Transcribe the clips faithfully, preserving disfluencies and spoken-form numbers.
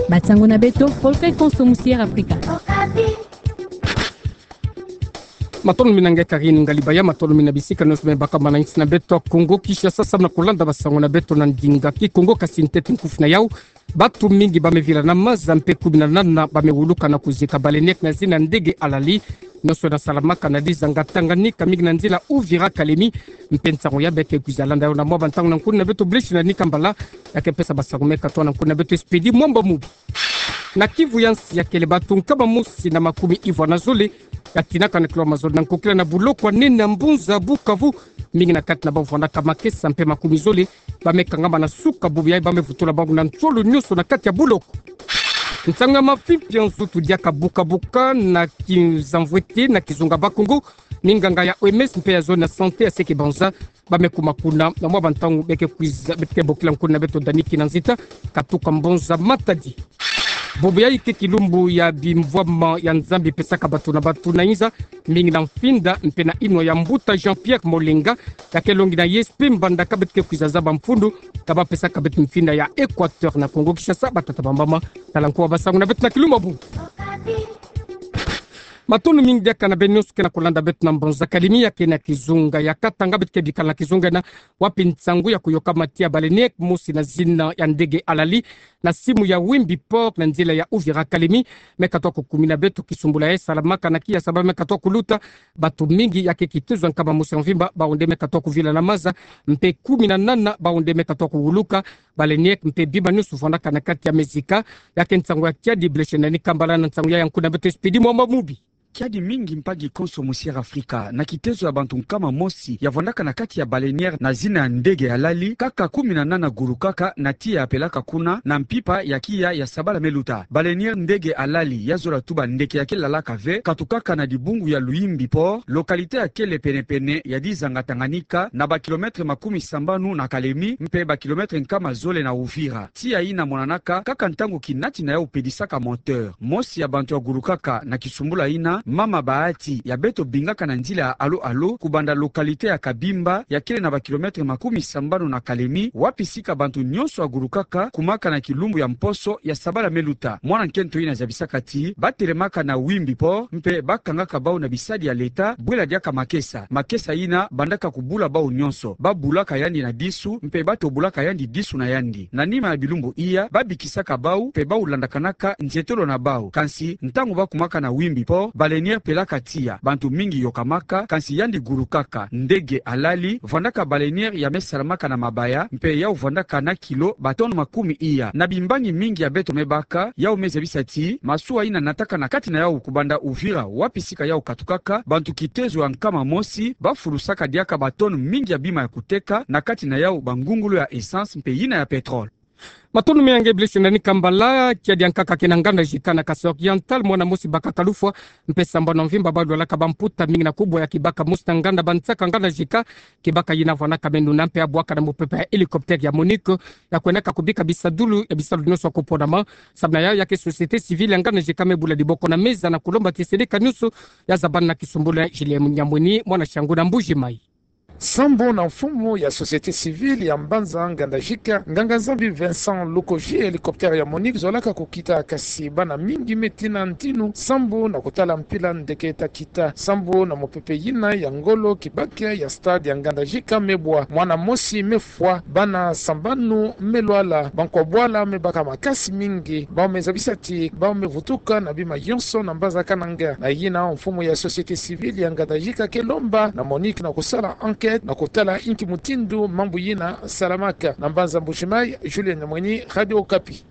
Ba nsangu na beto, Polka ikonso musi Air Afrika. Matondo mingi nge Karine Ngalibaya, matondo mingi na bisika nyonso me baka mana insi na beto Kongo Kinshasa, samu na kulanda ba nsangu na beto na ndinga Kikongo. Kasi ntete nkufi na yau, bantu mingi ba me vila na maza mpe kumi na nana ba me wuluka na kuzika baleine na zina ndege halali. Nyonso na salamaka na dizanga Tanganyika, mingi na nzila Uvira Kalemi. Mpe nsangu ya beke kwiza landa yau na mwa ba ntangu na nkuna na beto Blaise Nani Kambala, ya ke pesa ba nsangu me katoa na nkuna na beto Expedit Mwamba Mubi. Na Kivu ya nsi, ya kele bantu nkama mosi na makumi ivwa na zole ya tinaka na kilo mazole na nkokila na buloko ya nene ya mbunza Bukavu. Mingi na kati na bau vandaka makesa mpe makumi zole ba me kangama na suka bubu yayi ba me vutula bau na nsolo nyonso na kati ya buloko. Nsangu ya mafi mpe ya nzutu diaka buka-buka na kizamvwete na kizunga Bakongo. Minganga ya O M S mpe ya zone ya santé ya Seke Banza ba me kuma kuna na mwa ba ntangu beke kwiza, beke bokila nkuna na beto Dani Kinanzita katuka mbonza Matadi. Bubu yayi ke kilumbu ya bimvwama ya Nzambi pesaka bantu na bantu na inza, mingi na mfinda mpe na inwa ya mbuta Jean-Pierre Molenga, ya ke longi na I S P Mbandaka, beto ke kwiza zaba mfundu ka ba pesaka beto mfinda ya Équateur na Kongo Kinshasa. Batata, bamama, tala nkuwa ba nsangu na beto na kilumbu ya bubu. Matondo mingi diaka na beno nyonso ke na kulanda beto na mbonza Kalemi ya ke na kizunga ya Katanga. Beto ke bikala na kizunga yina wapi nsangu ya kuyoka mati ya baleine mosi na zina ya ndege halali na simu ya Wimbi Port na nzila ya Uvira Kalemi me katoa kukumina beto kisumbula ya salamaka na kiya, sababu me katoa kuluta. Bantu mingi ya ke kitezo ya nkama mosi ya mvimba, bau nde me katoa kuvila na maza, mpe kumi na nana bau nde me katoa kuwuluka. Baleine mpe bima nyonso vandaka na kati ya mezika. Ya ke nsangu ya kiadi. Blaise Nani Kambala na nsangu ya ya nkuna na beto Expedit Mwamba Mubi. Kiadi mingi mpangi konso musi Air Afrika. Na kitezo ya bantu nkama mosi ya vandaka na kati ya baleine na zina ya ndege halali, kaka kumi na nana gulukaka na tiya ya pelaka kuna na mpimpa ya kiya ya sabala me luta. Baleine ndege halali ya zola tuba ndeke ya ke lalaka ve katukaka na dibungu ya Luimbi Port, localité ya kele pene-pene ya dizanga Tanganyika, na ba kilomètre makumi sambanu na Kalemi mpe ba kilomètre nkama zole na Uvira. Tiya yina monanaka kaka ntangu kinati na yau pedisaka moteur. Mosi ya bantu ya gulukaka na kisumbula yina, mama Bahati, ya beto bingaka na nzila ya Alo-Alo, kubanda localité ya Kabimba, ya kele na ba kilomètre makumi sambanu na Kalemi, wapi sika bantu nyonso ya gulukaka kumaka na kilumbu ya mposo ya sabala me luta. Mwana nkento yina zabisaka ti ba telemaka na Wimbi Port mpe ba kangaka bau na bisadi ya leta bwela diaka makesa. Makesa yina bandaka kubula bau nyonso. Ba bulaka yandi na disu mpe ba tobolaka yandi disu na yandi. Na nima ya bilumbu iya, ba bikisaka bau mpe bau landakanaka nzietolo na bau. Kansi ntangu ba kumaka na Wimbi Port, baleine pelaka tiya. Bantu mingi yokamaka, kansi yandi gulukaka. Ndege halali, vandaka baleine ya me salamaka na mabaya, mpe yau vandaka na kilo ba tonnes makumi iya. Na bimbangi mingi ya beto me baka, yau me zabisa ti masuwa yina nataka na kati na yau kubanda Uvira, wapi sika yau katukaka, bantu kitezo ya nkama mosi ba fulusaka diaka ba tonnes mingi ya bima ya kuteka na kati na yau bangungulu ya essence mpe yina ya pétrole. Matondo mingi na nge Blaise Nani Kambala. Kiadi ya nkaka ke na nganda Jika na Kasaï Oriental, mwana mosi baka kalufwa mpe sambanu ya mvimba ba lwalaka bamputa mingi na kubwa ya kibaka mosi na nganda Bansaka, nganda Jika. Kibaka yina vandaka me nuna mpe ya bwaka na mopepe ya hélicoptère ya MONUC ya kwendaka kubika bisadulu ya bisalu nyonso ya kuponama. Samu na yau ya ke société civile ya nganda Jika me bula diboko na meza na kulomba ti sedeka nyonso ya zabana na kisumbula. Julien Nyamweni, mwana Shangu na Mbuji-Mayi. Sambu na mfumu ya société civile ya mbanza nganda Jika, nganga-Nzambi Vincent Lukoji, hélicoptère ya MONUC zolaka kukita, kasi bana mingi me tina ntinu sambu na kutala mpila ndeke ta kita. Sambu na mopepe yina ya ngolo, kibaka ya stade ya nganda Jika me bwa, mwana mosi me fwa, bana sambanu me lwala, bankwa bwala me baka makasi mingi. Bau me zabisa ti bau me vutuka na bima yonso na mbanza Kananga. Na yina, mfumu ya société civile ya nganda Jika ke lomba na MONUC na kusala enquête na kutala inki mutindu mambu yina salamaka. Na mbanza Mbuji-Mayi, Julien Nyamweni, Radio Okapi.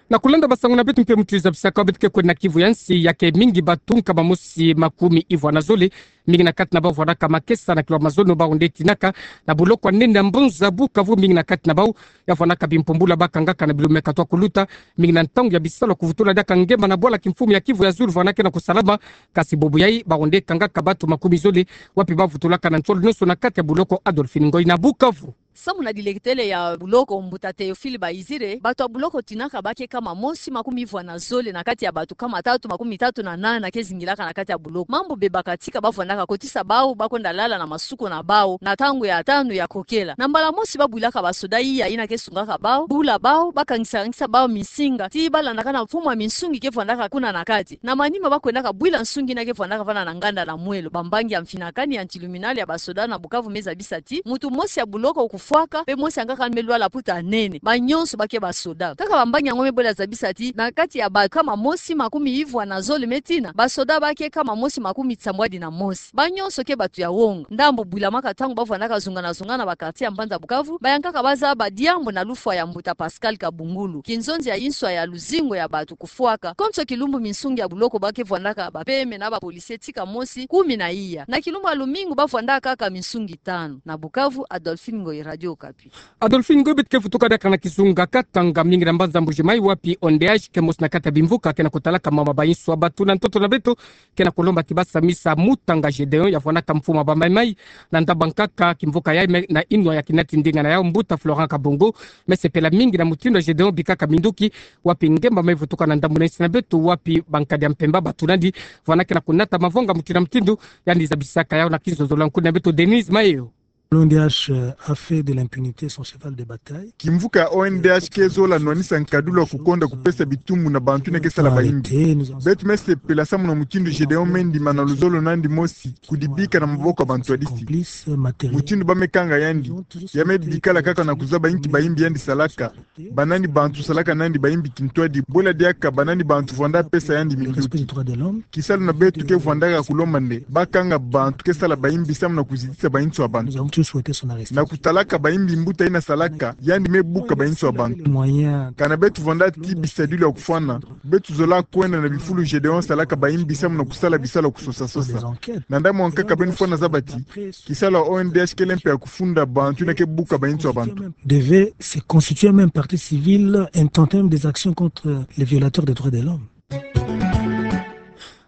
Na kulanda ba nsangu na beto mpe mutu zabisaka beto ke kwenda na Kivu ya nsi, ya ke mingi bantu nkama mosi makumi ivwa na zole, mingi na kati na bau vandaka makesa na kilo mazono, bau nde tinaka na buloko ya nene ya mbunza Bukavu. Mingi na kati na bau ya vandaka bimpumbula ba kangaka na bilumbu me katoa kuluta. Mingi na ntangu ya bisalu ya kuvutula diaka ngema na bwala kimfumu ya Kivu ya Zulu vanda ke na kusalama. Kasi bubu yayi bau nde kangaka bantu makumi zole, wapi ba vutulaka na nsolo nyonso na kati ya buloko Adolphine Ngoyi na Bukavu. Samu na dileketele ya buloko, mbuta Théophile Bayizire, bato ya buloko tinaka ba ke kama mosi makumi ivwa na zole na kati ya bato kama tatu makumi tatu na nana ke zingilaka na kati ya buloko. Mambu bebaka tika ba vwandaka kotisa bawu ba kwenda lala na masuko na bawu na ntangu ya tanu ya kokela. Na mbala mosi ba bwilaka basoda iya yina ke sungaka bawu, bula bawu, ba kangisa-kangisa bawu minsinga, tii ba landaka na mfumu ya minsungi ke vwandaka kuna na kati. Na manima ba kwendaka bwila nsungi yina ke vwandaka vana na nganda na mwelo. Bambangi ya mfinakani ya anti-luminal ya basoda na Bukavu me zabisa ti muntu mosi ya buloko kufwaka, mpe mosi ya nkaka me lwala mputa nene. Ba nyonso ba ke basoda. Kaka bambangi yango me bwela zabisa ti na kati ya bato kama mosi makumi ivwa na zole me tina, basoda ba ke kama mosi makumi nsambwadi na mosi. Ba nyonso ke bato ya wonga. Ndambu bwilamaka ntangu ba vwandaka zungana-zungana na ba quartier ya mbanza Bukavu, ba yankaka ba zaba diambu na lufwa ya mbuta Pascal Kabungulu, kinzonzi ya inswa ya luzingu ya bato kufwaka. Konso kilumbu minsungi ya buloko ba ke vwandaka bapeme na ba policier tika mosi kumi na iya. Na kilumbu ya lumingu ba vwandaka kaka minsungi tanu. Na Bukavu, Adolphine Ngoyi, Radio Okapi. Adolphine Ngoyi, beto ke vutuka diaka na kizunga Katanga, mingi na mbanza Mbuji-Mayi, wapi O N D H ke mosi na kati ya bimvuka ke na kutalaka mama ba inswa ya bato. Na ntoto na beto, ke na kulomba ti ba samisa mutanga Gédéon ya vwandaka mfumu ya bamaimai na ndambu ya nkaka kimvuka yayi, me na inwa ya kinati ndinga na yawu, mbuta Florent Kabongo, me sepela mingi na mutindu ya Gédéon bikaka minduki, wapi ngemba me vutuka na ndambu na insi na beto, wapi bankadi ya mpemba bato nandi vwandaka na kunata mavonga mutindu na mutindu. Yandi zabisaka yawu na kizozolo ya nkuni na beto Denise Mayo. L'O N D H a fait de l'impunité son cheval de bataille. Kimvuka ya O N D H ke zola nwanisa nkadulu ya kukonda kupesa bitumbu na bantu yina ke sala bayimbi. Beto me sepela samu na mutindu Gédéon me ndima na luzolo nandi mosi kudibika na maboko ya bantwadisi. Mutindu ba me kanga yandi, ya me bikala kaka na kuzaba inki bayimbi yandi salaka. Ba nani bantu salaka nandi bayimbi kintwadi, bwela diaka ba nani bantu vwanda pesa yandi minduki. Kisalu na beto ke vwandaka kulomba nde ba kanga bantu ke sala bayimbi samu na kuzitisa ba inswa ya bantu, na kutalaka bayimbi mbuta yina salaka, yandi me buka ba inswa ya bantu. Kana beto vwanda tii bisadilu ya kufwana, beto zola kwenda na bifulu Gédéon salaka bayimbi samu na kusala bisalu ya kusosa-sosa. Na ndambu ya nkaka beno fwana zaba ti kisalu ya O N D H kele mpe ya kufunda bantu yina ke buka ba inswa ya bantu. Devait se constituer même partie civile, intenter même des actions contre les violateurs des droits de l'homme.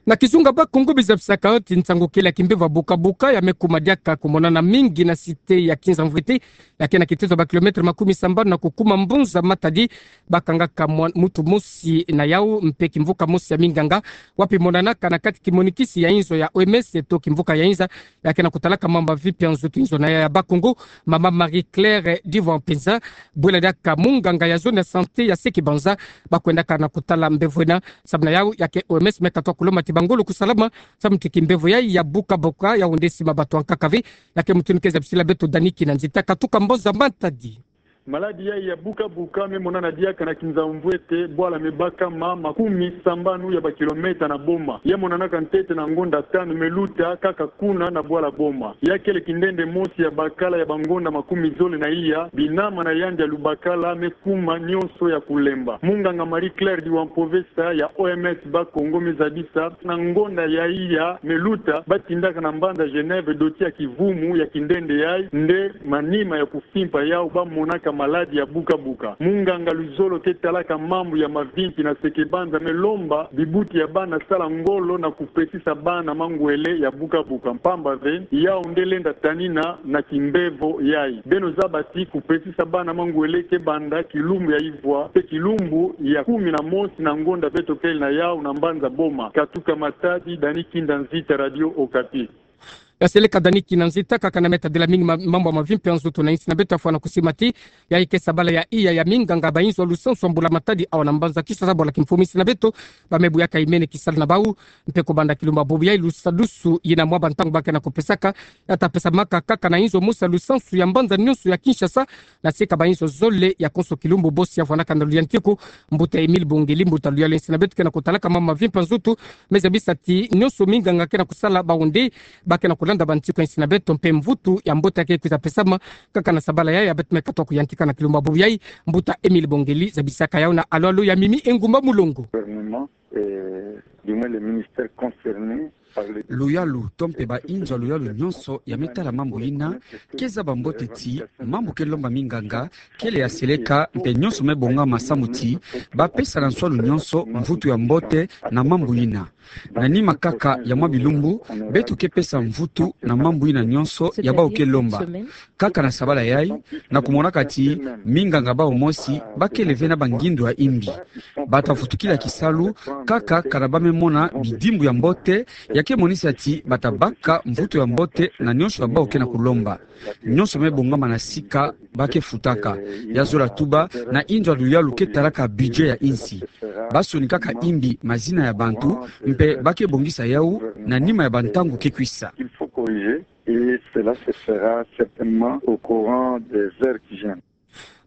Na kizunga Bas-Congo, ba zabisaka ti nsangu kele ya kimbevo ya buka-buka ya me kuma diaka kumonana mingi na cité ya Kinzamvwete, ya ke na kitezo ya ba kilomètre makumi sambanu na kukuma mbunza Matadi. Ba kangaka mwa-, muntu mosi na yawu mpe kimvuka mosi ya minganga, wapi monanaka na kati kimonikisi ya inzo ya O M S to kimvuka ya inza ya ke na kutalaka mambu mavi mpe ya nzutu. Inzo na yaya ya Bas-Congo, mama Marie-Claire Divampenza, bwela diaka munganga ya zone ya santé ya Seke-Banza, ba kwendaka na kutala mbevo ena. Samu na yawu ya ke O M S me katuka kulomba ti bangolo kusalama samu ti kimbevo yayi ya buka-buka ya onde sima bato ya nkaka ve. Ya ke mutindu ke zabisila beto Dani Kinanzita, katuka mbunza Matadi. Maladi yayi ya buka-buka me monana diaka na Kinzamvwete, bwala me baka ma makumi sambanu ya ba kilomètre na boma. Ya monanaka ntete na ngonda tanu me luta kaka kuna na bwala boma. Ya kele kindende mosi ya bakala ya bangonda makumi zole na iya, binama na yandi ya lubakala me kuma nyonso ya kulemba. Munganga Marie-Claire Divampenza ya O M S Bas-Congo me zabisa, na ngonda ya iya me luta, ba tindaka na mbanza Genève doti ya kivumu ya kindende yayi, nde manima ya ku- fimpa yawu ba monaka maladi ya buka-buka. Munganga luzolo ke talaka mambu ya mavimpi na Seke-Banza me lomba bibuti ya bana sala ngolo na kupesisa bana mangwele ya buka-buka, mpamba ve yawu nde lenda tanina na kimbevo yayi. Beno zaba ti kupesisa bana mangwele ke banda kilumbu ya ivwa mpe kilumbu ya kumi na mosi na ngonda beto kele na yawu na mbanza boma. Katuka Matadi, Dani Kinanzita, Radio Okapi. Ya seleka Dani Kinanzita, kaka na me tadila mingi ma-, mambu ya mavimpi ya nzutu na insi na beto. Fwana kusima ti yayi ke sabala ya iya ya minganga ba inzo ya lusansu ya mbula-matadi awa na mbanza Kinshasa, bwala kimfumu insi na beto ba me buyaka imene kisalu na bawu. Mpe kubanda kilumbu ya bubu yayi, lusadusu yina mwa bantangu ba ke na kupesaka ya ta pesamaka kaka na inzo mosi ya lusansu ya mbanza nyonso ya Kinshasa, na sika ba inzo zole. Ya konso kilumbu bosi ya fwanaka na luyantiku, mbuta Émile Bongeli, mbuta luyalu ya insi na beto ke na kutalaka mambu mavimpi ya nzutu, me zabisa ti nyonso minganga ke na kusala, ba onde ba ke na kulanda bantiku ya insi na beto, mpe mvutu ya mbote ya ke kwiza pesama kaka na sabala yayi ya beto me katuka kuyantika na kilumbu ya bubu yayi. Mbuta Émile Bongeli zabisaka yawu na alo-alo ya Mimi Engumba Mulongo. Gouvernement, euh, du moins les ministères concernés, Luyalu to mpe bainzo ya luyalu nyonso ya me tala mambu yina, ke zaba mbote ti mambu ke lomba minganga kele ya seleka mpe nyonso me bongama samu ti ba pesa na nsualu nyonso mvutu ya mbote na mambu yina. Na nima kaka ya mwa bilumbu, beto ke pesa mvutu na mambu yina nyonso ya bau ke lomba. Kaka na sabala yai, na kumonaka ti minganga bau mosi ba kele ve na bangindu ya imbi. Ba ta vutukila kisalu kaka kana ba me mona bidimbu ya mbote, ya ke monisa ti ba ta baka mvutu ya mbote na nyonso ya bau ke na kulomba. Nyonso me bongama na sika ba ke futaka. Ya zola tuba, na inzo ya luyalu ke talaka budget ya insi, ba sonikaka imbi mazina ya bantu, mpe ba ke bongisa yau na nima ya bantangu ke kwisa. Il faut corriger et cela se fera certainement au courant des heures qui viennent.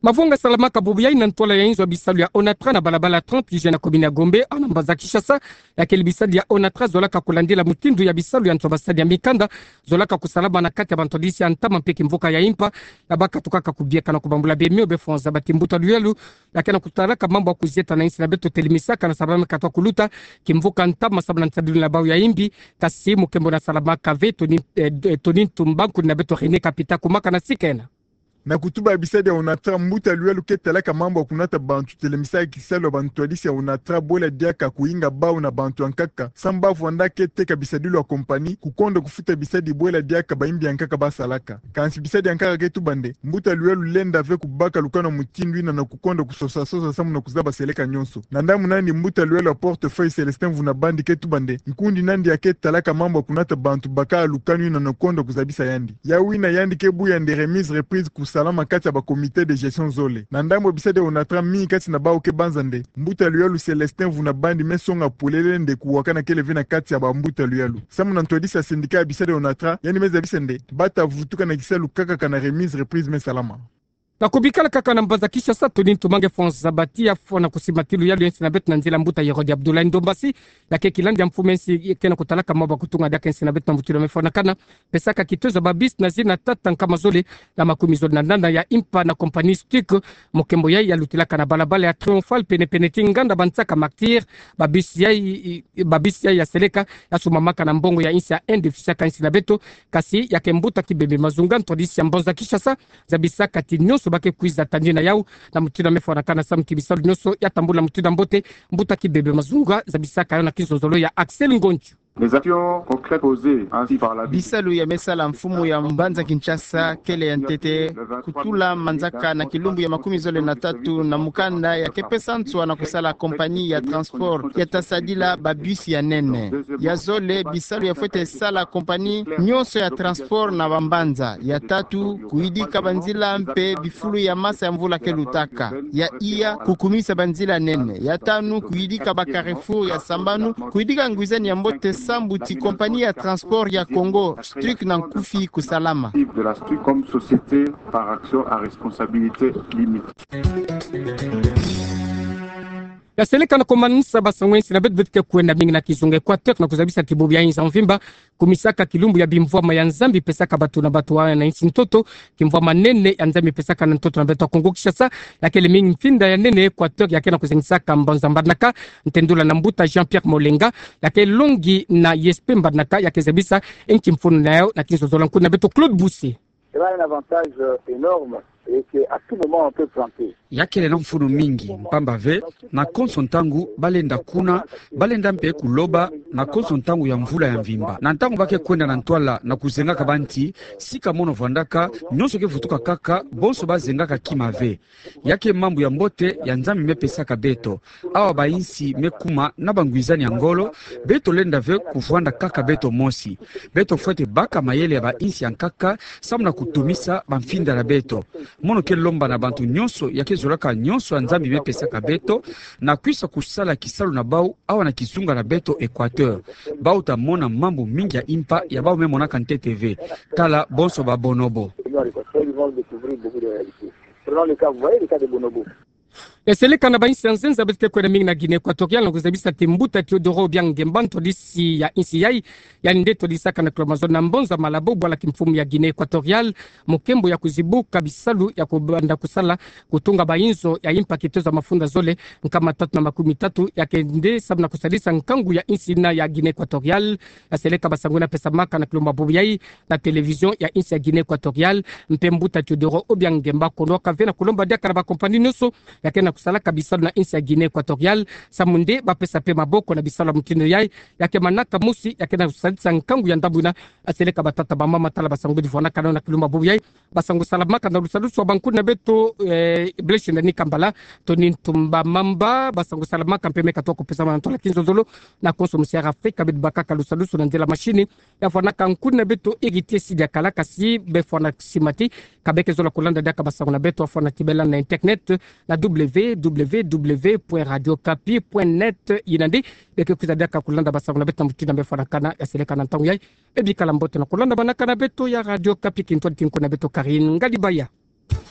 Mavanga salamaka bubu yai na ntwala ya inzo ya bisalu ya ONATRA na balabala trente juin na commune ya Gombe, awa na mbanza Kinshasa. Ya kele bisalu ya ONATRA zolaka kulandila mutindu ya bisalu ya ntu ya basadi ya mikanda zolaka kusalama na kati ya bantwadisi ya ntama mpe kimvuka ya impa, ya ba katukaka kubieka na kubambula bemio be fonza bati mbuta luyalu ya ke na kutalaka mambu ya kuzieta na insi na beto telemisaka na sabala me katuka kuluta kimvuka ntama sababu na nsadilu na bau ya imbi. Kasi mukembo na salamaka ve Tony, eh, Tony Ntumba, nkuni na beto René Kapita kumaka na sika ena. Na kutuba ya bisadi ya ONATRA, mbuta luyalu ke talaka mambu ya kunata bantu telemisaka kisalu ya bantwadisi ya ONATRA bwela diaka kuinga bau na bantu ya nkaka, samu ba vwanda ke teka bisadilu ya compagnie, kukonda kufuta bisadi bwela diaka baimbi ya nkaka ba salaka. Kansi bisadi ya nkaka ke tuba nde, mbuta luyalu lenda ve kubaka lukanu ya mutindu yina na kukonda kusosa sosa samu na kuzaba seleka nyonso. Na ndambu nandi, mbuta luyalu ya portefeuille Célestin Mvuna Bandi ke tuba nde, nkundi nandi ya ke talaka mambu ya kunata bantu bakaka lukanu yina na kukonda kuzabisa yandi. Yau yina yandi ke buya nde remise reprise kusalama kati ya ba comité de gestion zole. Na ndambu ya bisadi ya ONATRA, mingi kati na bau ke banza nde, mbuta luyalu Célestin Mvuna Bandi me songa polele nde kuwakana kele ve na kati ya bambuta luyalu. Samu na ntwadisi ya syndicat ya bisadi ya ONATRA, yandi me zabisa nde ba ta vutuka na kisalu kaka kana remise reprise me salama. Na kubikala kaka na mbanza Kinshasa, Tony Ntumba, nge fonza bati ya fwana kusimba ti luyalu ya insi na beto na nzila mbuta Hérode Abdoulaye Ndombasi, ya ke kilandi ya mfumu ya insi ke na kutalaka mambu ya kutunga diaka insi na beto na mutindu ya me fwanakana, pesaka kitozo ya ba bus na zina tata nkama zole na makumi zole na nana ya impa na compagnie Stuc. Mukembo yai ya lutilaka na balabala ya Triomphal penepene ti nganda bansaka Martyrs. Ba bus yai, ba bus yai ya seleka ya sumamaka na mbongo ya insi ya Inde, fisaka insi na beto. Kasi ya ke mbuta Kibembe Mazunga, ntwadisi ya mbanza Kinshasa, zabisaka ti nyonso ba ke kwiza tandi na yau na mutindu ya me fwanakana samu ti bisalu nyonso ya tambula mutindu ya mbote. Mbuta Kibembe Mazunga zabisaka yau na kizololo ya Axel Ngonchu. Les actions concrètes posées ainsi par la... Bisalu ya me sala mfumu ya mbanza Kinshasa kele ya ntete, kutula manzaka na kilumbu ya makumi zole na tatu na mukanda ya ke pesa nswa na kusala compagnie ya transport ya ta sadila ba bus ya nene. Ya zole, bisalu ya fwete sala compagnie nyonso ya transport na bambanza. Ya tatu, kuyidika banzila mpe bifulu ya masa ya mvula ke lutaka. Ya iya, kukumisa banzila nene. Ya tanu, kuyidika ba carrefour ya sambanu, kuyidika ngwizani ya mbote sambu ti compagnie ya transport ya Congo, Stuc na nkufi, kusalama. De la Stuc comme société par action à responsabilité limitée. Ya seleka na komansa ba sango ya insi na beto, beto ke kwenda mingi na kizunga Équateur na kuzabisa kibubu ya inzo ya mvimba kumisaka kilumbu ya bimvwama ya Nzambi pesaka bato na bato awa na insi ntoto, kimvwama nene ya Nzambi pesaka na ntoto na beto ya Congo Kinshasa. Ya kele mingi mfinda ya nene ya Équateur ya ke na kuzengisaka mbanza Mbandaka, ntendula na mbuta Jean-Pierre Molenga, ya ke longi na I S P Mbandaka, ya ke zabisa nki mfunu na yau na kinzololo ya nkuni na beto Claude Busse. Cela a un avantage, euh, énorme et que à tout moment on peut planter. Ya kele na mfunu mingi, mpamba ve na konso ntangu ba lenda kuna, ba lenda mpe kuloba na konso ntangu ya mvula ya mvimba. Na ntangu ba ke kwenda na ntwala na kuzengaka banti, sika mono vwandaka, nyonso ke vutuka kaka, bonso ba zengaka kima ve. Ya ke mambu ya mbote ya Nzambi me pesaka beto. Awa ba insi me kuma na bangwizani ya ngolo, beto lenda ve kuvwanda kaka beto mosi. Beto fwete baka mayele ya ba insi ya nkaka, samu na kutumisa bamfinda na beto. Mono ke lomba na bantu nyonso ya ke zolaka nyonso ya Nzambi me pesaka beto, na kwisa kusala kisalu na bau awa na kizunga na beto Équateur. Bau ta mona mambu mingi ya impa ya bau me monaka ntete ve. Tala bonso ba bonobo. Prenons le cas, vous voyez le cas de Bonobo. Ya seleka na bainsi ya nzenza beto ke kwenda mingi na Guinée Équatoriale, na kuzabisa ti mbuta Teodoro Obiang Nguema, ntwadisi ya insi yai, yaani nde twadisaka na klo mazono na mbonza Malabo, bwala kimfumu ya Guinée Équatoriale, mokembo ya kuzibuka bisalu ya kubanda kusala, kutunga bainzo ya impa kitoza mafunda zole, nkama tatu na makumi tatu, ya kende samu na kusadisa nkangu ya insi na ya Guinée Équatoriale. Ya seleka basangwini pesamaka na klo mabubu yai, na télévision ya insi ya Guinée Équatoriale, mpe mbuta Teodoro Obiang Nguema kono kave na kulomba diaka na bakompani nyonso ya ke na kusalaka bisalu na insi ya Guinée Équatoriale, samu nde bapesa mpe maboko na bisalu ya mutindu yai, ya ke manaka mosi, ya ke na kusadisa nkangu ya ndambu ina, ya seleka batata bamama tala basangwini fwanakana na klo mabubu yai, basangu salamaka na lusalusu ya bankuna beto, eh, Blaise Ndani Kambala, Tony Ntumba Mamba, basangu salamaka mpe me kato kupesamana na ntola kinzonzolo, na konso musi ya Afrika, beto bakaka lusalusu na nzela mashini, ya fwanaka nkuna beto Héritier Sidi Akala, kasi befwana simati, ka beke zola kulanda diaka basangu na beto, ya fwana tibela na internet, na W W W point radio kapi point net, ina nde, beke kwiza diaka kulanda basangu na beto na mutindu befwanakana, ya seleka na ntangu yai, e bikala mbote na kulanda banakana beto ya Radio Kapi, kintwadi ti nkuna beto Karine Ngalibaya.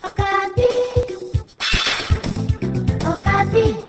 Okapi. Okapi.